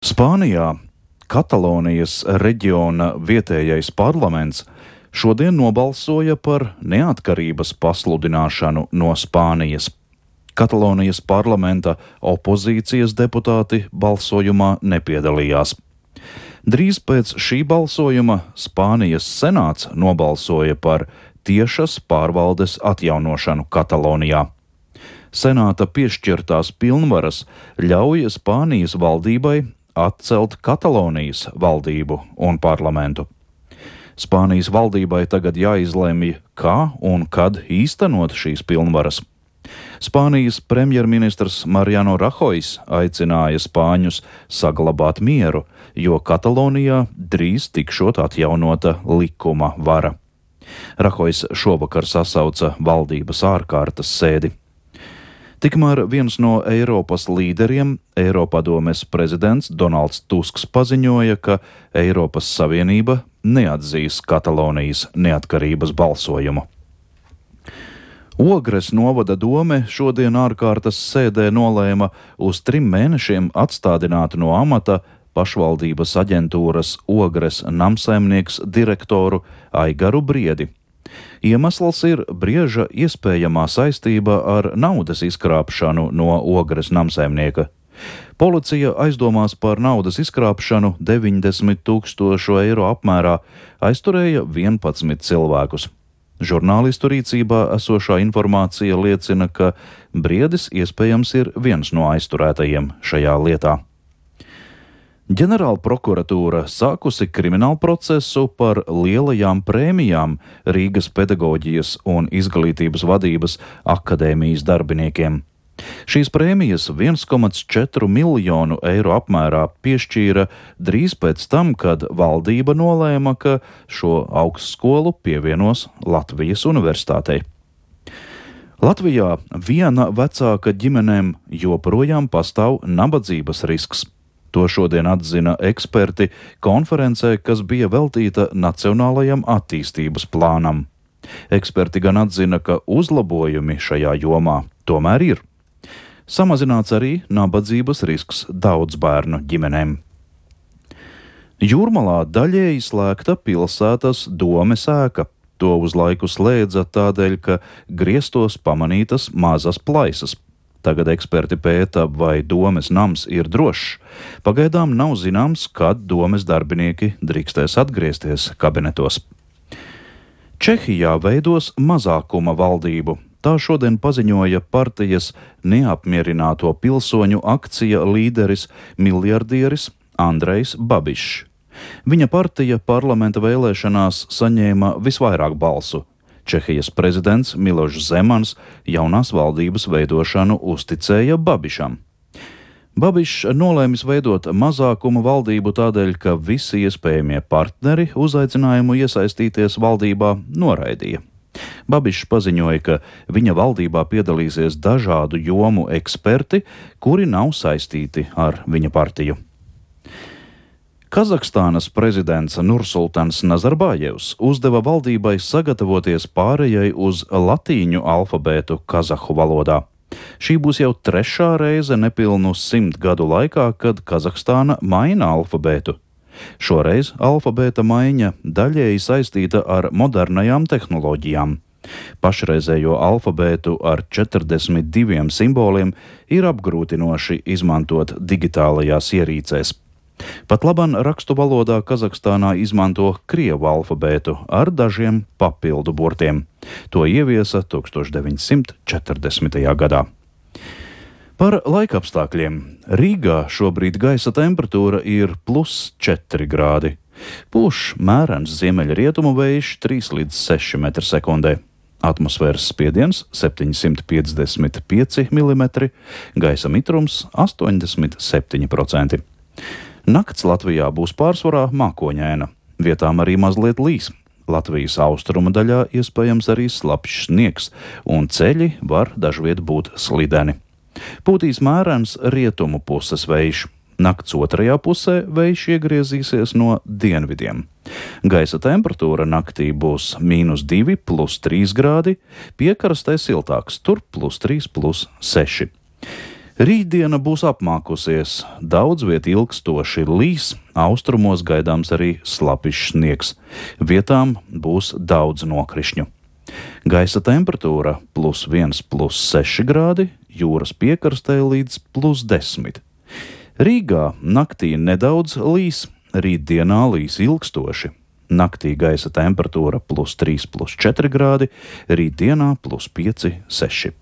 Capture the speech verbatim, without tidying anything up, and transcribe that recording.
Spānijā Katalonijas reģiona vietējais parlaments šodien nobalsoja par neatkarības pasludināšanu no Spānijas. Katalonijas parlamenta opozīcijas deputāti balsojumā nepiedalījās. Drīz pēc šī balsojuma Spānijas senāts nobalsoja par tiešas pārvaldes atjaunošanu Katalonijā. Senāta piešķirtās pilnvaras ļauj Spānijas valdībai atcelt Katalonijas valdību un parlamentu. Spānijas valdībai tagad jāizlemj, kā un kad īstenot šīs pilnvaras. Spānijas premjerministrs Mariano Rahojs aicināja spāņus saglabāt mieru, jo Katalonijā drīz tikšot atjaunota likuma vara. Rahojs šovakar sasauca valdības ārkārtas sēdi. Tikmēr viens no Eiropas līderiem, Eiropadomes prezidents Donalds Tusks, paziņoja, ka Eiropas Savienība neatzīs Katalonijas neatkarības balsojumu. Ogres novada dome šodien ārkārtas sēdē nolēma uz trim mēnešiem atstādināt no amata pašvaldības aģentūras Ogres namsaimnieks direktoru Aigaru Briedi. Iemesls ir Brieža iespējamā saistība ar naudas izkrāpšanu no Ogres namsaimnieka. Policija aizdomās par naudas izkrāpšanu deviņdesmit tūkstošu eiro apmērā aizturēja vienpadsmit cilvēkus. Žurnālistu rīcībā esošā informācija liecina, ka Briedis iespējams ir viens no aizturētajiem šajā lietā. Ģenerāla prokuratūra sākusi kriminālu procesu par lielajām prēmijām Rīgas pedagoģijas un izglītības vadības akadēmijas darbiniekiem. Šīs prēmijas viens komats četri miljonu eiro apmērā piešķīra drīz pēc tam, kad valdība nolēma, ka šo augstskolu pievienos Latvijas universitātei. Latvijā viena vecāka ģimenēm joprojām pastāv nabadzības risks. To šodien atzina eksperti konferencē, kas bija veltīta Nacionālajam attīstības plānam. Eksperti gan atzina, ka uzlabojumi šajā jomā tomēr ir. Samazināts arī nabadzības risks daudz bērnu ģimenēm. Jūrmalā daļēji slēgta pilsētas domes ēka. To uz laiku slēdza tādēļ, ka griestos pamanītas mazas plaisas. Tagad eksperti pēta, vai domes nams ir drošs. Pagaidām nav zināms, kad domes darbinieki drīkstēs atgriezties kabinetos. Čehijā veidos mazākuma valdību. Tā šodien paziņoja partijas neapmierināto pilsoņu akcija līderis miljardieris Andrejs Babišs. Viņa partija parlamenta vēlēšanās saņēma visvairāk balsu. Čehijas prezidents Milošs Zemans jaunās valdības veidošanu uzticēja Babišam. Babišs nolēmis veidot mazākuma valdību tādēļ, ka visi iespējamie partneri uzaicinājumu iesaistīties valdībā noraidīja. Babišs paziņoja, ka viņa valdībā piedalīsies dažādu jomu eksperti, kuri nav saistīti ar viņa partiju. Kazahstānas prezidents Nursultans Nazarbājevs uzdeva valdībai sagatavoties pārējai uz latīņu alfabētu kazahu valodā. Šī būs jau trešā reize nepilnu simt gadu laikā, kad Kazahstāna maina alfabētu. Šoreiz alfabēta maiņa daļēji saistīta ar modernajām tehnoloģijām. Pašreizējo alfabētu ar četrdesmit diviem simboliem ir apgrūtinoši izmantot digitālajās ierīcēs. Pat laban rakstu valodā Kazahstānā izmanto krievu alfabētu ar dažiem papildu burtiem. To ieviesa tūkstoš deviņsimt četrdesmitajā gadā. Par laikapstākļiem. Rīgā šobrīd gaisa temperatūra ir plus četri grādi. Pūš mērens ziemeļrietumu vējš trīs līdz seši metri sekundē. Atmosfēras spiediens septiņsimt piecdesmit pieci milimetri, gaisa mitrums astoņdesmit septiņi procenti. Nakts Latvijā būs pārsvarā mākoņaina, vietām arī mazliet līs. Latvijas austrumu daļā iespējams arī slapjš sniegs, un ceļi var dažviet būt slideni. Pūtīs mērens rietumu puses vējš. Nakts otrajā pusē vējš iegriezīsies no dienvidiem. Gaisa temperatūra naktī būs mīnus divi, plus trīs grādi, piekrastē siltāks, tur plus trīs, plus seši. Rītdiena būs apmākusies, daudz viet ilgstoši līs, austrumos gaidāms arī slapišs sniegs. Vietām būs daudz nokrišņu. Gaisa temperatūra plus viens, plus seši grādi, jūras piekrastē līdz plus desmit. Rīgā naktī nedaudz līs, rītdienā līs ilgstoši. Naktī gaisa temperatūra plus trīs, plus četri grādi, rītdienā plus pieci, seši.